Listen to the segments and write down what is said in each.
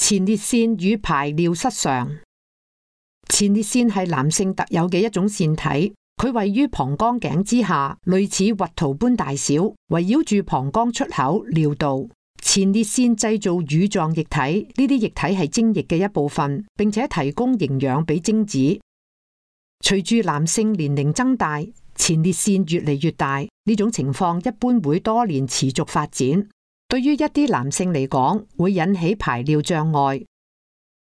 前列腺與排尿失常。前列腺係男性特有嘅一種腺體，佢位於膀胱頸之下，類似核桃般大小，圍繞住膀胱出口尿道。前列腺製造乳狀液體，呢啲液體係精液嘅一部分，並且提供營養俾精子。隨住男性年齡增大，前列腺越嚟越大，呢種情況一般會多年持續發展。對於一啲男性嚟講，會引起排尿障礙。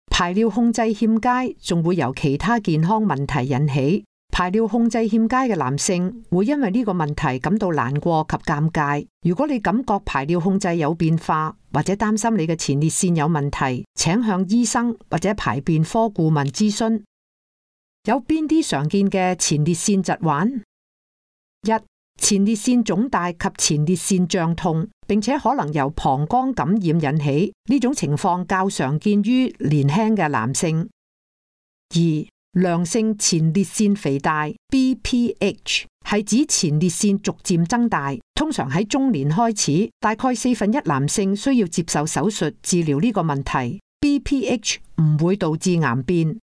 排尿控制欠佳，仲會由其他健康問題引起。排尿控制欠佳嘅男性會因為呢個問題感到難過及尷尬。如果你感覺排尿控制有變化，或者擔心你嘅前列腺有問題，請向醫生或者排便科顧問諮詢。有邊啲常見嘅前列腺疾患？一、前列腺腫大及前列腺脹痛，並且可能由膀胱感染引起，呢種情況較常見於年輕嘅男性。二、良性前列腺肥大 BPH 係指前列腺逐漸增大，通常喺中年開始，大概1/4男性需要接受手術治療呢個問題。BPH 唔會導致癌變。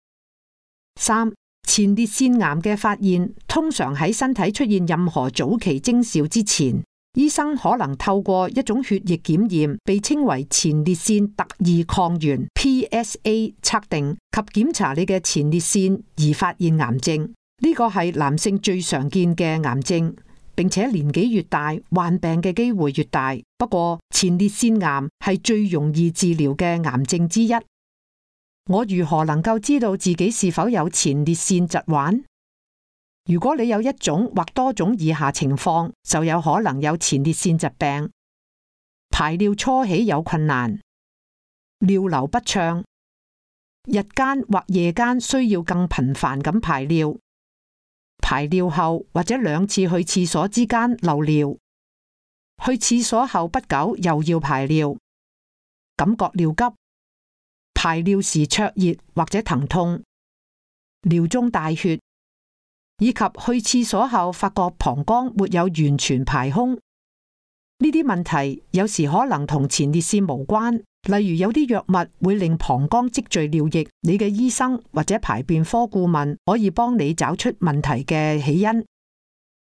三、前列腺癌嘅發現通常喺身體出現任何早期徵兆之前，醫生可能透過一種血液檢驗，被稱為前列腺特異抗原 PSA 測定及檢查你嘅前列腺而發現癌症。呢個係男性最常見嘅癌症，並且年紀越大，患病嘅機會越大。不過前列腺癌係最容易治療嘅癌症之一。我如何能夠知道自己是否有前列腺疾患？如果你有一種或多種以下情況，就有可能有前列腺疾病：排尿初起有困難，尿流不暢，日間或夜間需要更頻繁咁排尿，排尿後或者2次去廁所之間漏尿，去廁所後不久又要排尿，感覺尿急，排尿時灼熱或者疼痛，尿中帶血，以及去廁所後發覺膀胱沒有完全排空。呢啲問題有時可能同前列腺無關，例如有啲藥物會令膀胱積聚尿液，你嘅醫生或者排便科顧問可以幫你找出問題嘅起因。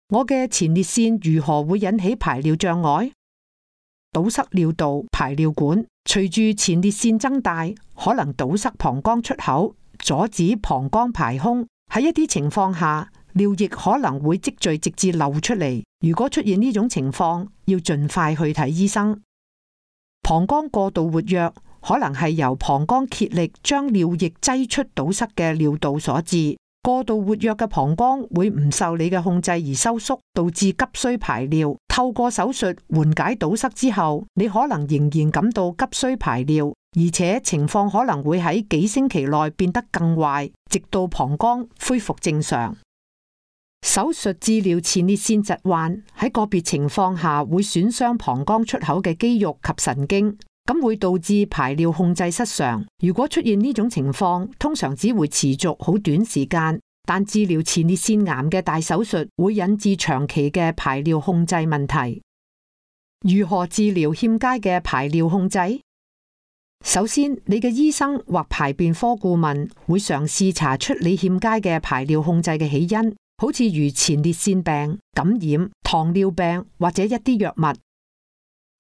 我嘅前列腺如何會引起排尿障礙？堵塞尿道、排尿管，隨住前列腺增大，可能堵塞膀胱出口，阻止膀胱排空。喺一啲情況下，尿液可能會積聚直至漏出嚟。如果出現呢種情況，要盡快去睇醫生。膀胱過度活躍，可能係由膀胱竭力將尿液擠出堵塞嘅尿道所致。過度活躍嘅膀胱會唔受你嘅控制而收縮，導致急需排尿。透過手術緩解堵塞之後，你可能仍然感到急需排尿，而且情況可能會喺幾星期內變得更壞，直到膀胱恢復正常。手術治療前列腺疾患喺個別情況下會損傷膀胱出口嘅肌肉及神經，咁會導致排尿控制失常。如果出現呢種情況，通常只會持續好短時間，但治療前列腺癌嘅大手術會引致長期嘅排尿控制問題。如何治療欠佳嘅排尿控制？首先，你嘅醫生或排便科顧問會嘗試查出你欠佳嘅排尿控制嘅起因，好似如前列腺病、感染、糖尿病或者一啲藥物。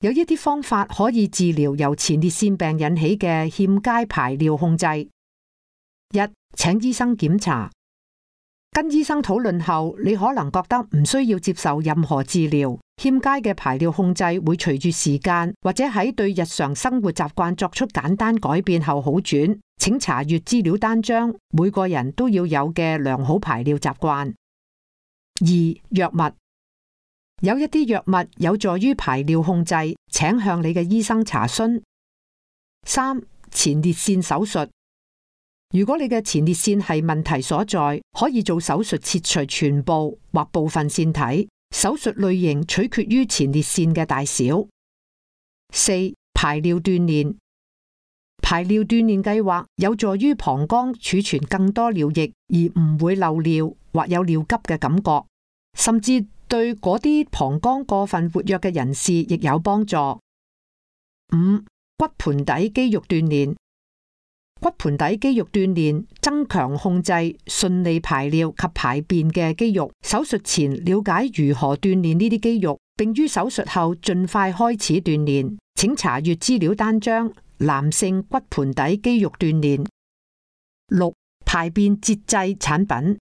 有一啲方法可以治療由前列腺病引起嘅欠佳排尿控制。一、請醫生檢查。跟醫生討論後，你可能覺得唔需要接受任何治療。欠佳嘅排尿控制會隨住時間或者喺對日常生活習慣作出簡單改變後好轉。請查閱資料單張，每個人都要有嘅良好排尿習慣。二、藥物。有一啲藥物有助於排尿控制，請向你嘅醫生查詢。三、前列腺手術。如果你嘅前列腺係問題所在，可以做手術切除全部或部分腺體。手術類型取決於前列腺嘅大小。四、排尿鍛煉。排尿鍛煉計劃有助於膀胱儲存更多尿液，而唔會漏尿或有尿急嘅感覺，甚至對嗰啲膀胱過分活躍嘅人士亦有幫助。五、骨盆底肌肉鍛煉。骨盆底肌肉鍛煉，增強控制順利排尿及排便嘅肌肉。手術前了解如何鍛煉呢啲肌肉，並於手術後盡快開始鍛煉。請查閱資料單張：男性骨盆底肌肉鍛煉。6. 排便節制產品。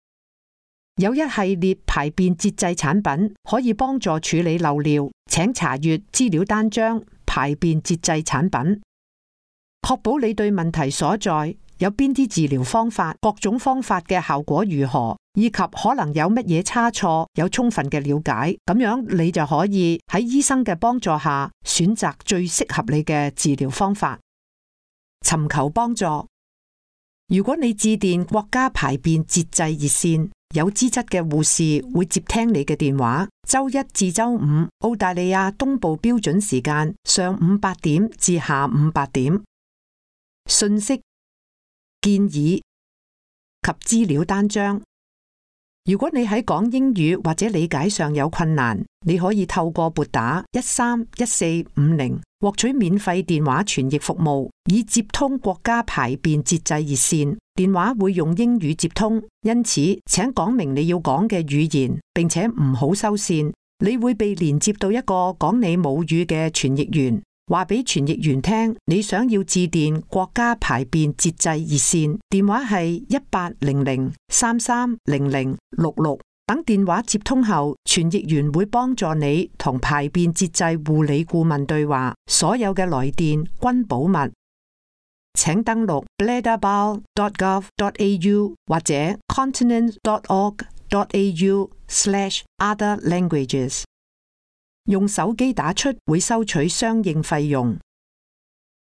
有一系列排便節制產品可以幫助處理漏尿，請查閱資料單張：排便節制產品。確保你對問題所在，有邊啲治療方法，各種方法嘅效果如何，以及可能有乜嘢差錯，有充分嘅了解，咁樣你就可以喺醫生嘅幫助下選擇最適合你嘅治療方法。尋求幫助。如果你致電國家排便節制熱線，有資質嘅護士會接聽你嘅電話。周一至周五，澳大利亞東部標準時間上午8點至下午8點。信息、建議及資料單張。如果你喺講英語或者理解上有困難，你可以透過撥打131450獲取免費電話傳譯服務，以接通國家排便節制熱線。電話會用英語接通，因此請講明你要講嘅語言，並且唔好收線。你會被連接到一個講你母語嘅傳譯員。話俾傳譯員聽，你想要致電國家排便節制熱線，電話係1800330066。等電話接通後，傳譯員會幫助你同排便節制護理顧問對話，所有嘅來電均保密。請登錄 bladderbowel.gov.au 或者 continent.org.au/other languages。用手機打出會收取相應費用。